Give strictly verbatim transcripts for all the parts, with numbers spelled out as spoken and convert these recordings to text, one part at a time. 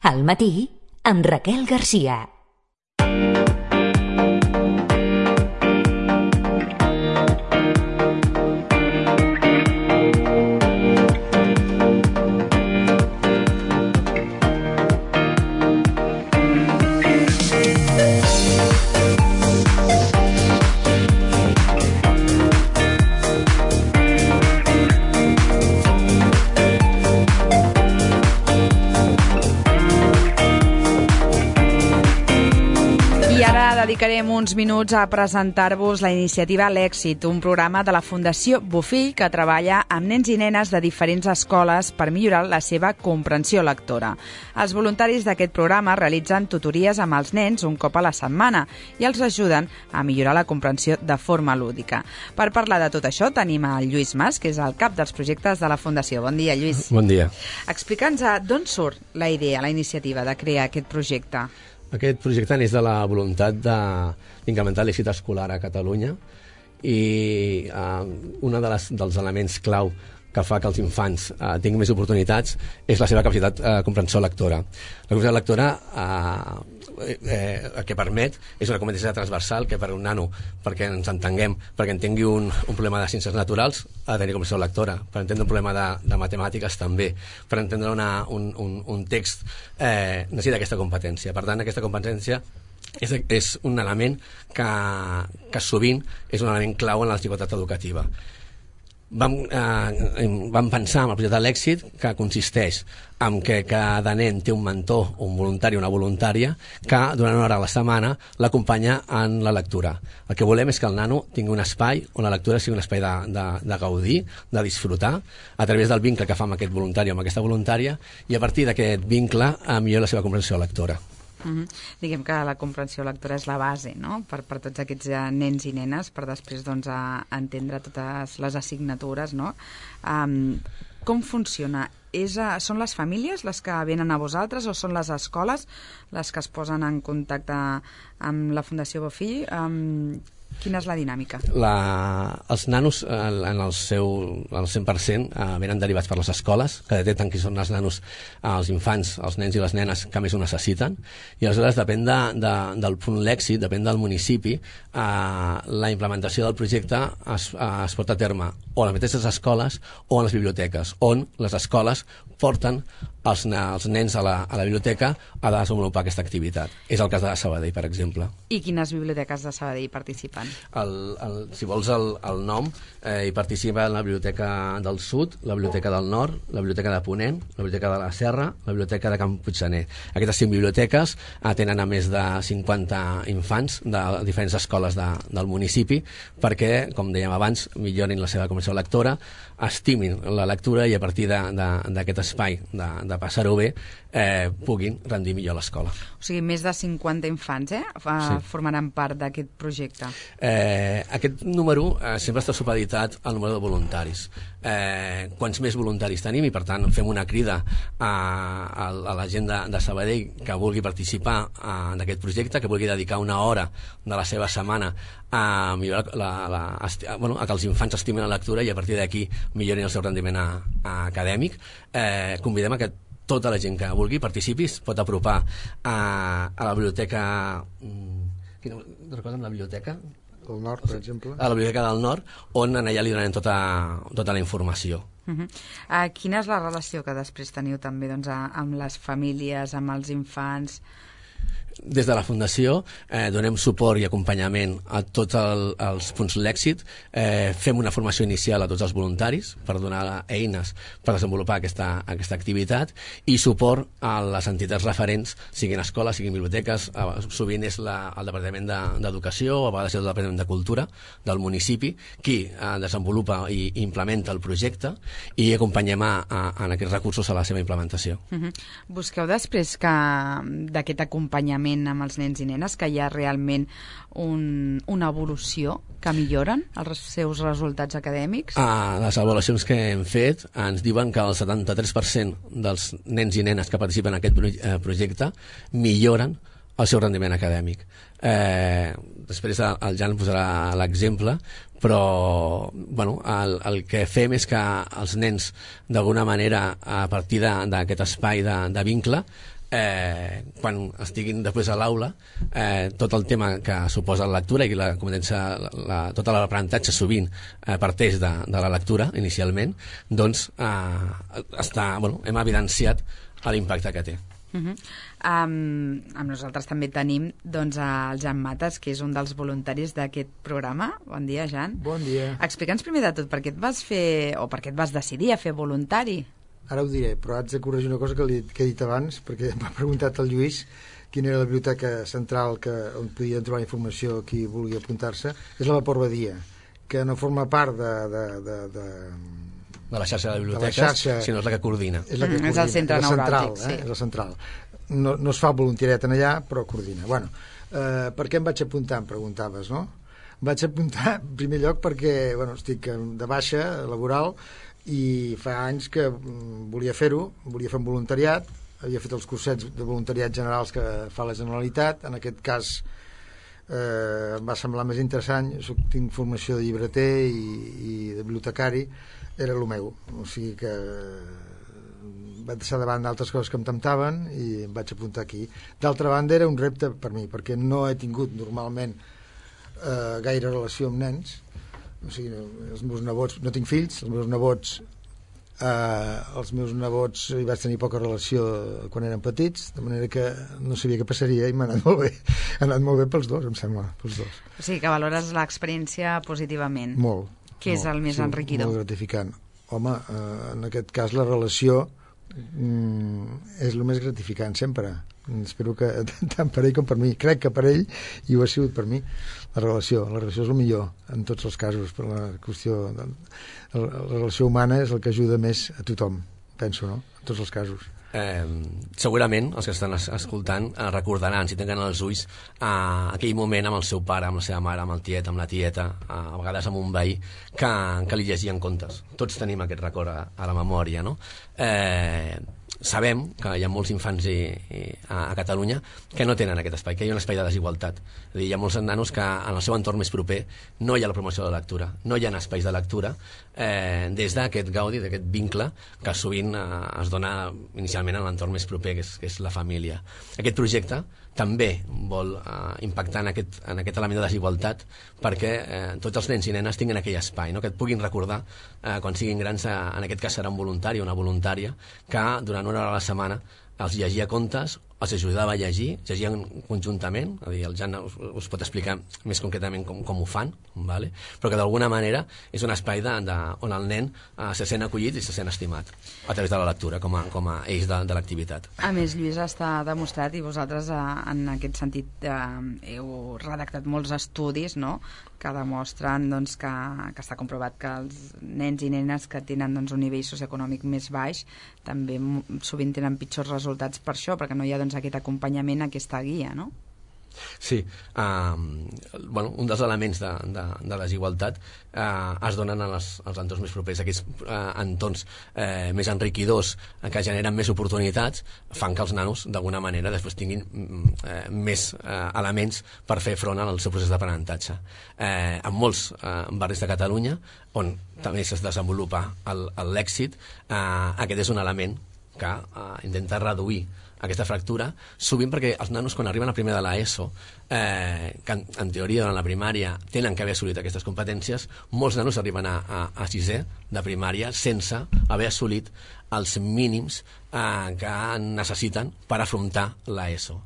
Al matí, amb Raquel Garcia. Dedicarem uns minuts a presentar-vos la iniciativa L'Èxit, un programa de la Fundació Bofill que treballa amb nens i nenes de diferents escoles per millorar la seva comprensió lectora. Els voluntaris d'aquest programa realitzen tutories amb els nens un cop a la setmana i els ajuden a millorar la comprensió de forma lúdica. Per parlar de tot això tenim el Lluís Mas, que és el cap dels projectes de la Fundació. Bon dia, Lluís. Bon dia. Explica'ns d'on surt la idea, la iniciativa de crear aquest projecte. Aquest projecte neix de la voluntat d'incrementar l'èxit escolar a Catalunya i eh, un de les, dels elements clau que fa que els infants eh, tinguin més oportunitats és la seva capacitat de eh, comprensió lectora. La capacitat lectora eh, eh, el que permet és una competència transversal que per un nano, perquè ens entenguem, perquè entengui un, un problema de ciències naturals, ha de tenir comprensió lectora. Per entendre un problema de, de matemàtiques també. Per entendre una, un, un, un text eh, necessita aquesta competència. Per tant, aquesta competència és, és un element que, que sovint és un element clau en la desigualtat educativa. Vam, eh, vam pensar en el projecte de l'èxit, que consisteix en que cada nen té un mentor, un voluntari o una voluntària que durant una hora a la setmana l'acompanya en la lectura. El que volem és que el nano tingui un espai on la lectura sigui un espai de, de, de gaudir, de disfrutar, a través del vincle que fa amb aquest voluntari o amb aquesta voluntària, i a partir d'aquest vincle eh, millora la seva comprensió lectora. Uh-huh. Diguem que la comprensió lectora és la base, no?, per, per tots aquests uh, nens i nenes, per després doncs, a entendre totes les assignatures, no? Um, com funciona? És, uh, són les famílies les que venen a vosaltres o són les escoles les que es posen en contacte amb la Fundació Bofill? Um, Quina és la dinàmica? La, els nanos, en el seu el cent per cent, eh, venen derivats per les escoles, que detecten qui són els nanos, eh, els infants, els nens i les nenes que més ho necessiten, i aleshores depèn de, de, del punt l'èxit, depèn del municipi, eh, la implementació del projecte es, eh, es porta a terme o a les mateixes escoles o a les biblioteques, on les escoles porten els, els nens a la, a la biblioteca a desenvolupar aquesta activitat. És el cas de Sabadell, per exemple. I quines biblioteques de Sabadell participen? El, el, si vols el, el nom, eh, hi participa la Biblioteca del Sud, la Biblioteca del Nord, la Biblioteca de Ponent, la Biblioteca de la Serra, la Biblioteca de Can Puiggener. Aquestes cinc biblioteques eh, tenen a més de cinquanta infants de diferents escoles de, del municipi perquè, com dèiem abans, millorin la seva comprensió lectora, estimin la lectura i a partir d'aquest espai de, de passar-ho bé eh, puguin rendir millor l'escola. O sigui, més de cinquanta infants eh, sí. formaran part d'aquest projecte. Eh, aquest número eh, sempre està supeditat al número de voluntaris. Eh, quants més voluntaris tenim, i per tant fem una crida a, a, a la gent de, de Sabadell que vulgui participar en aquest projecte, que vulgui dedicar una hora de la seva setmana a millorar la, la, a, bueno, a que els infants estimin la lectura i a partir d'aquí millorin el seu rendiment a, a acadèmic. Eh, convidem a que tota la gent que vulgui participi, es pot apropar a, a la biblioteca... Quina, recorden la biblioteca? Del Nord, per exemple. A la Biblioteca del Nord, on allà li donem tota, tota la informació. Uh-huh. uh, quina és la relació que després teniu també doncs, a, amb les famílies, amb els infants? Des de la Fundació eh, donem suport i acompanyament a tots el, els punts l'èxit, eh, fem una formació inicial a tots els voluntaris per donar eines per desenvolupar aquesta, aquesta activitat i suport a les entitats referents, siguin escoles, siguin biblioteques, eh, sovint és la, el Departament d'Educació o a vegades és el Departament de Cultura del municipi qui eh, desenvolupa i implementa el projecte i acompanyem a, a, a aquests recursos a la seva implementació. Uh-huh. Busqueu després que d'aquest acompanyament amb els nens i nenes, que hi ha realment un, una evolució que milloren els seus resultats acadèmics? Ah, les avaluacions que hem fet ens diuen que el setanta-tres per cent dels nens i nenes que participen en aquest projecte milloren el seu rendiment acadèmic. Eh, després el Jan posarà l'exemple, però bueno, el, el que fem és que els nens d'alguna manera a partir d'aquest espai de, de vincle eh, quan estiguin després a l'aula, eh, tot el tema que suposa la lectura i la competència, la, la, tot l'aprenentatge sovint eh, parteix de, de la lectura inicialment, doncs eh, està, bueno, hem evidenciat l'impacte que té. Uh -huh. um, amb nosaltres també tenim doncs, el Jan Mates, que és un dels voluntaris d'aquest programa. Bon dia, Jan. Bon dia. Explica'ns primer de tot per què et vas fer, o per què et vas decidir a fer voluntari. Ara ho diré, però haig de corregir una cosa que, li, que he dit abans, perquè m'ha preguntat el Lluís quina era la biblioteca central que, on podien trobar informació qui vulgui apuntar-se. És la Vapor Badia, que no forma part de... de, de, de de la xarxa de biblioteques, de xarxa, sinó és la que coordina. És, la que mm, coordina. És el centre neuràlgic, eh? sí. És el central. No, no es fa voluntariat en allà, però coordina. Bueno, eh, per què em vaig apuntar, em preguntaves, no? Em vaig apuntar, en primer lloc, perquè bueno, estic de baixa laboral i fa anys que volia fer-ho, volia fer un voluntariat, havia fet els cursets de voluntariat generals que fa la Generalitat, en aquest cas eh, em va semblar més interessant, soc, tinc formació de llibreter i, i de bibliotecari, era el meu, o sigui que vaig deixar davant d'altres coses que em temptaven i em vaig apuntar aquí. D'altra banda era un repte per mi, perquè no he tingut normalment eh, gaire relació amb nens, o sigui, els meus nebots, no tinc fills, els meus nebots eh, els meus nebots hi vaig tenir poca relació quan eren petits, de manera que no sabia què passaria i m'ha anat molt bé, ha anat molt bé pels dos, em sembla, pels dos. O sigui que valores l'experiència positivament. Molt. Què és el més sí, enriquidor? Molt gratificant. Home, eh, en aquest cas la relació mm, és el més gratificant sempre. Espero que tant per ell com per mi. Crec que per ell, i ho ha sigut per mi, la relació. La relació és el millor en tots els casos, per la qüestió de, la, la relació humana és el que ajuda més a tothom, penso, no? En tots els casos. Eh, segurament els que estan es escoltant eh, recordaran, si tenen els ulls, eh, aquell moment amb el seu pare, amb la seva mare, amb el tiet, amb la tieta, eh, a vegades amb un veí, que, que li llegien contes. Tots tenim aquest record a, a la memòria, no? Eh, sabem que hi ha molts infants i, i, a, a Catalunya que no tenen aquest espai, que hi ha un espai de desigualtat. És a dir, hi ha molts nanos que en el seu entorn més proper no hi ha la promoció de la lectura, no hi ha espais de lectura eh, des d'aquest gaudi, d'aquest vincle que sovint eh, es dona inicialment en l'entorn més proper, que és, que és la família. Aquest projecte també vol eh, impactar en aquest, en aquest element de desigualtat perquè eh, tots els nens i nenes tinguin aquell espai, no? Que et puguin recordar eh, quan siguin grans, eh, en aquest cas serà un voluntari o una voluntària que durant una hora a la setmana els llegia contes, els ajudava a llegir, llegien conjuntament, és a dir, el Jan us, us pot explicar més concretament com, com ho fan, vale? Però que d'alguna manera és un espai de, de, on el nen eh, se sent acollit i se sent estimat a través de la lectura com a, com a eix de, de l'activitat. A més, Lluís, està demostrat, i vosaltres eh, en aquest sentit eh, heu redactat molts estudis, no?, que demostren doncs, que, que està comprovat que els nens i nenes que tenen doncs, un nivell socioeconòmic més baix també sovint tenen pitjors resultats per això, perquè no hi ha doncs, aquest acompanyament, aquesta guia, no? Sí, um, bueno, un dels elements de, de, de desigualtat uh, es donen als, als entorns més propers. Aquests uh, entorns uh, més enriquidors uh, que generen més oportunitats fan que els nanos d'alguna manera després tinguin uh, més uh, elements per fer front al seu procés d'aprenentatge. Uh, en molts uh, barris de Catalunya on també es desenvolupa l'èxit, uh, aquest és un element que uh, intenta reduir aquesta fractura, sovint perquè els nanos quan arriben a primer de l'ESO, eh, que en, en teoria durant la primària tenen que haver assolit aquestes competències, molts nanos arriben a, a, a sisè de primària sense haver assolit els mínims eh, que necessiten per afrontar l'ESO.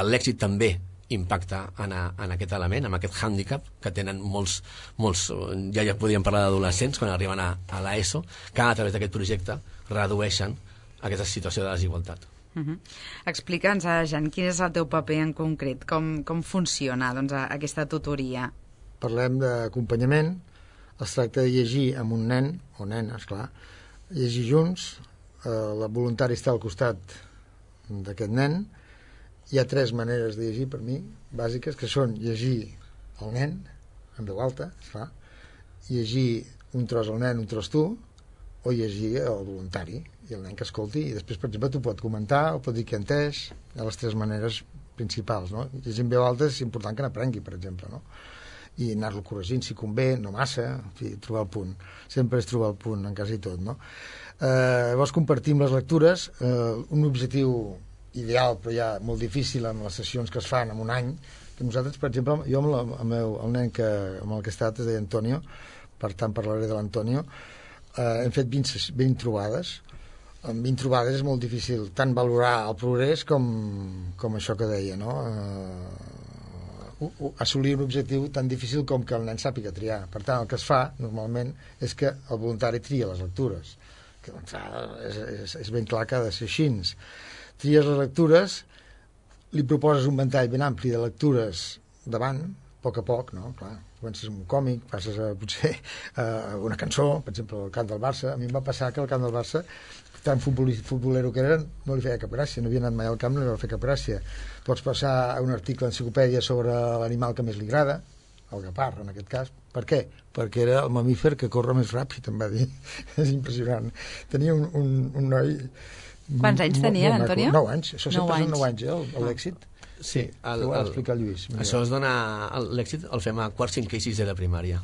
L'èxit també impacta en, a, en aquest element, en aquest hàndicap que tenen molts, molts ja, ja podríem parlar d'adolescents quan arriben a, a l'ESO, que a través d'aquest projecte redueixen aquesta situació de desigualtat. Uh -huh. Explica'ns, Jan, quin és el teu paper en concret, com, com funciona doncs, aquesta tutoria? Parlem d'acompanyament, es tracta de llegir amb un nen, o nena, esclar, llegir junts, eh, la voluntària està al costat d'aquest nen, hi ha tres maneres de llegir per mi, bàsiques, que són llegir el nen, en veu alta, esclar, llegir un tros al nen, un tros tu, o llegir el voluntari i el nen que escolti, i després, per exemple, t'ho pot comentar o pot dir que ha entès, hi ha les tres maneres principals, no? Llegir en veu alta és important que n'aprengui, per exemple, no? I anar-lo corregint si convé, no massa, en fi, trobar el punt. Sempre és trobar el punt, en quasi tot, no? Eh, llavors compartim les lectures, eh, un objectiu ideal, però ja molt difícil en les sessions que es fan en un any, que nosaltres, per exemple, jo amb, la, amb el, el nen que, amb el que he estat es deia Antonio, per tant parlaré de l'Antonio, eh, hem fet vint, vint trobades. En vint trobades és molt difícil tant valorar el progrés com, com això que deia, no? Eh, assolir un objectiu tan difícil com que el nen sàpiga triar. Per tant, el que es fa normalment és que el voluntari tria les lectures, que doncs, és, és, és ben clar que ha de ser així. Tries les lectures, li proposes un ventall ben ampli de lectures davant, a poc a poc, no? Clar, comences amb un còmic, passes a, potser, a una cançó, per exemple, el cant del Barça. A mi em va passar que el cant del Barça, tan futbolero que era, no li feia cap gràcia, no havia anat mai al camp, no li va fer cap gràcia. Pots passar a un article d'enciclopèdia sobre l'animal que més li agrada, el guepard, en aquest cas. Per què? Perquè era el mamífer que corre més ràpid, em va dir. És impressionant. Tenia un, un, un noi... Quants anys tenia, l'Antonio? Nou anys. Això sempre són nou anys, eh, l'èxit. Sí, el, ho ha el, d'explicar el Lluís. Això es dona... L'èxit el fem a quart, cinquè i sisè de primària.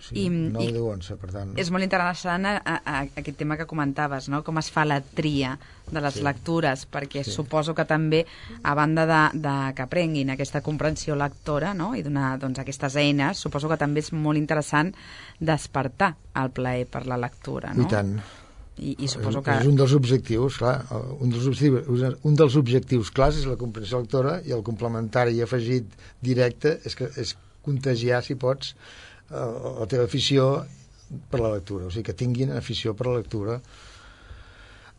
Sí, nou, deu, onze, per tant. És molt interessant a, a, a aquest tema que comentaves, no? Com es fa la tria de les sí. lectures, perquè sí. suposo que també, a banda de, de que aprenguin aquesta comprensió lectora, no? I donar doncs, aquestes eines, suposo que també és molt interessant despertar el plaer per la lectura, no? I tant. I, i suposo que... És un dels objectius, clar, un dels objectius, un dels objectius clars és la comprensió lectora, i el complementari afegit directe és, que, és contagiar, si pots, la teva afició per la lectura, o sigui, que tinguin afició per la lectura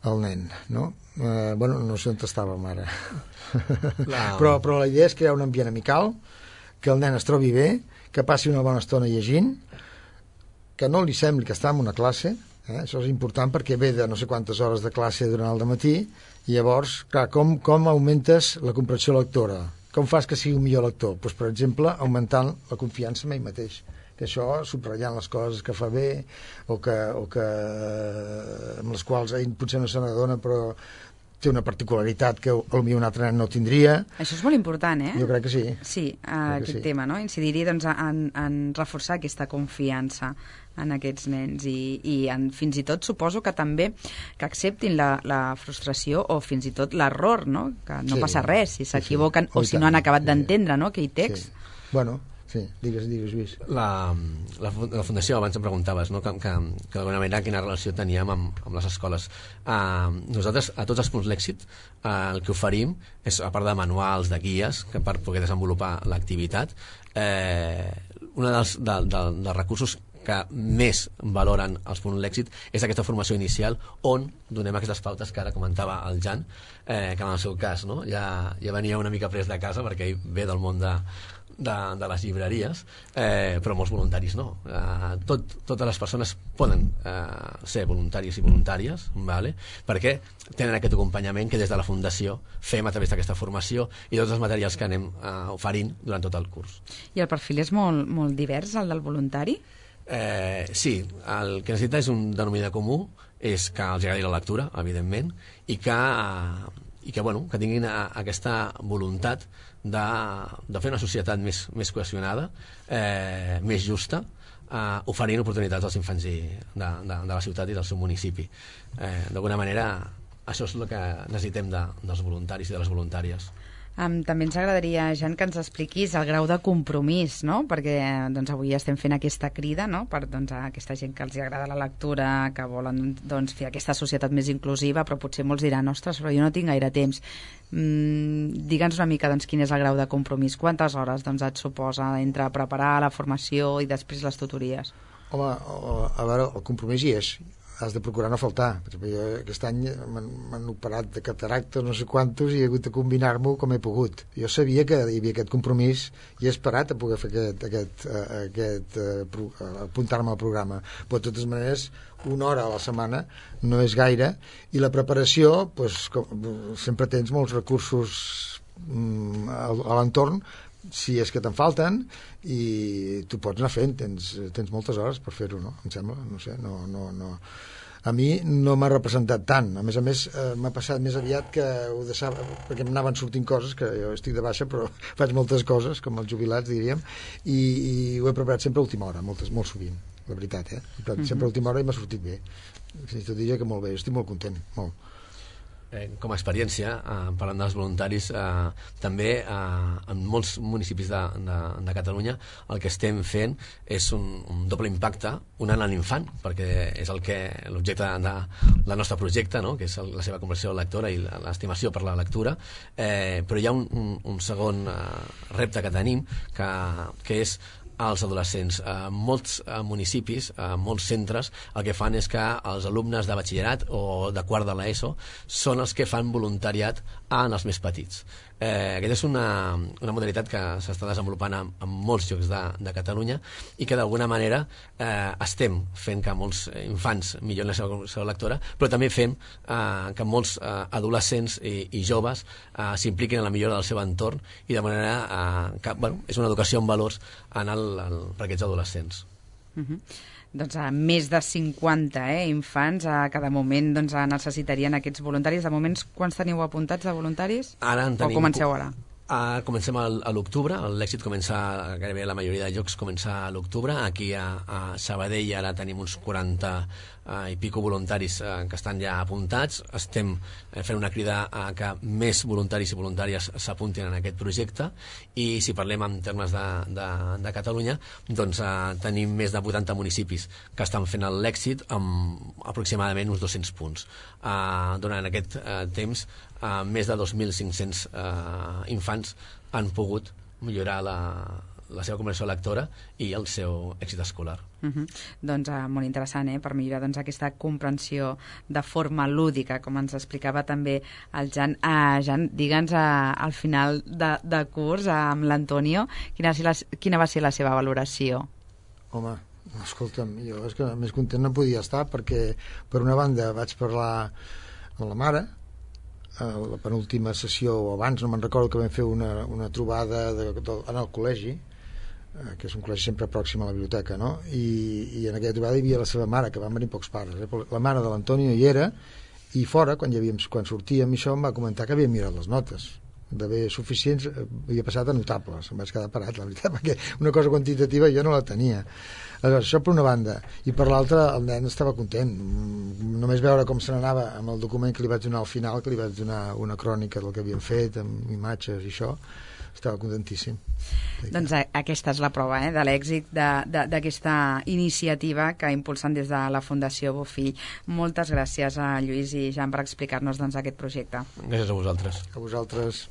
el nen, no? Eh, bueno, no sé on estàvem ara. La... però, però la idea és crear un ambient amical, que el nen es trobi bé, que passi una bona estona llegint, que no li sembli que està en una classe, eh? Això és important perquè ve de no sé quantes hores de classe durant el dematí, i llavors, clar, com, com augmentes la comprensió lectora? Com fas que sigui un millor lector? Doncs, per exemple, augmentant la confiança en ell mateix, que això, subratllant les coses que fa bé o que, o que amb les quals ell potser no se n'adona, però té una particularitat que potser un altre nen no tindria. Això és molt important, eh? Jo crec que sí. Sí, aquest sí. tema, no? Incidiria doncs, en, en reforçar aquesta confiança en aquests nens i, i en, fins i tot suposo que també que acceptin la, la frustració o fins i tot l'error, no? Que no sí, passa res si s'equivoquen sí, sí. o si no han acabat sí. d'entendre, no? Aquell text. Sí. Bueno, sí, digues, digues, Lluís. La, la, la Fundació, abans em preguntaves, no? que, que, que d'alguna manera quina relació teníem amb, amb les escoles. Uh, nosaltres, a tots els punts l'èxit, uh, el que oferim és, a part de manuals, de guies, que per poder desenvolupar l'activitat, eh, un dels, de, de, dels recursos que més valoren els punts l'èxit és aquesta formació inicial on donem aquestes pautes que ara comentava el Jan, eh, que en el seu cas no? ja, ja venia una mica pres de casa perquè ell ve del món de, de, de les llibreries, eh, però molts voluntaris no. Eh, tot, totes les persones poden eh, ser voluntaris i voluntàries, vale? Perquè tenen aquest acompanyament que des de la Fundació fem a través d'aquesta formació i tots els materials que anem eh, oferint durant tot el curs. I el perfil és molt, molt divers, el del voluntari? Eh, sí, el que necessita és un denominador comú, és que els agradi la lectura, evidentment, i que, i que, bueno, que tinguin a, aquesta voluntat de, de fer una societat més, més cohesionada, eh, més justa, eh, oferint oportunitats als infants i de, de, de la ciutat i del seu municipi. Eh, D'alguna manera, això és el que necessitem de, dels voluntaris i de les voluntàries. Um, també ens agradaria, Jan, que ens expliquis el grau de compromís, no? Perquè doncs, avui estem fent aquesta crida, no? Per doncs, a aquesta gent que els agrada la lectura, que volen doncs, fer aquesta societat més inclusiva, però potser molts diran, ostres, però jo no tinc gaire temps. Mm, Digue'ns una mica doncs, quin és el grau de compromís, quantes hores doncs, et suposa entre preparar la formació i després les tutories? Home, a veure, el compromís hi és. Has de procurar no faltar. Per exemple, jo aquest any m'han operat de cataractes no sé quantos i he hagut de combinar-m'ho com he pogut. Jo sabia que hi havia aquest compromís i he esperat a poder fer aquest, aquest, aquest apuntar-me al programa. Però de totes maneres, una hora a la setmana no és gaire, i la preparació, doncs, com, sempre tens molts recursos mm, a, a l'entorn, si és que te'n falten, i tu pots anar fent, tens, tens moltes hores per fer-ho, no? Em sembla, no sé, no, no, no. A mi no m'ha representat tant, a més a més eh, m'ha passat més aviat que ho deixava, perquè em anaven sortint coses, que jo estic de baixa però faig moltes coses, com els jubilats diríem, i, i ho he preparat sempre a última hora, moltes, molt sovint, la veritat, eh? Sempre a última hora i m'ha sortit bé, fins i tot diria que molt bé, estic molt content, molt. eh, com a experiència, eh, parlant dels voluntaris, eh, també eh, en molts municipis de, de, de Catalunya el que estem fent és un, un doble impacte, un en l'infant, perquè és el que l'objecte de, del nostre projecte, no? Que és el, la seva conversió lectora i l'estimació per la lectura, eh, però hi ha un, un, un segon eh, repte que tenim, que, que és als adolescents. A molts a municipis, a molts centres, el que fan és que els alumnes de batxillerat o de quart de l'ESO són els que fan voluntariat en els més petits. Eh, aquesta és una, una modalitat que s'està desenvolupant en, en molts llocs de, de Catalunya i que d'alguna manera eh, estem fent que molts infants millorin la seva comprensió lectora, però també fem eh, que molts eh, adolescents i, i joves eh, s'impliquin en la millora del seu entorn i de manera eh, que bueno, és una educació en valors en el, el, per aquests adolescents. Uh-huh. Doncs a més de cinquanta eh, infants a cada moment doncs, necessitarien aquests voluntaris. De moments, quants teniu apuntats de voluntaris? Ara en tenim... O comenceu ara? Uh, comencem a l'octubre, l'èxit comença, gairebé la majoria de llocs comença a l'octubre. Aquí a, a Sabadell ara tenim uns quaranta uh, i pico voluntaris uh, que estan ja apuntats. Estem uh, fent una crida a que més voluntaris i voluntàries s'apuntin en aquest projecte, i si parlem en termes de, de, de Catalunya, doncs uh, tenim més de vuitanta municipis que estan fent l'èxit amb aproximadament uns dos-cents punts. Uh, durant aquest uh, temps, uh, més de dos mil cinc-cents uh, infants han pogut millorar la, la seva comprensió lectora i el seu èxit escolar. Uh-huh. Doncs uh, molt interessant, eh? Per millorar doncs, aquesta comprensió de forma lúdica, com ens explicava també el Jan. Uh, Jan, digue'ns uh, al final de, de curs uh, amb l'Antonio, quina, quina va ser la seva valoració? Home, escolta'm, jo és que més content no podia estar, perquè per una banda vaig parlar amb la mare a la penúltima sessió o abans, no me'n recordo, que vam fer una, una trobada de, de, en el col·legi, eh, que és un col·legi sempre pròxim a la biblioteca, no? I, i en aquella trobada hi havia la seva mare, que van venir pocs pares, eh? La mare de l'Antonio hi era, i fora, quan, hi havíem, quan sortíem i això, em va comentar que havia mirat les notes, d'haver suficients, havia passat a notables. Em vaig quedar parat, la veritat, perquè una cosa quantitativa jo no la tenia. Aleshores, això per una banda, i per l'altra el nen estava content, només veure com se n'anava amb el document que li vaig donar al final, que li vaig donar una crònica del que havien fet amb imatges i això, estava contentíssim. Doncs aquesta és la prova eh, de l'èxit d'aquesta iniciativa que impulsen des de la Fundació Bofill. Moltes gràcies a Lluís i Jan per explicar-nos doncs, aquest projecte. Gràcies a vosaltres. A vosaltres.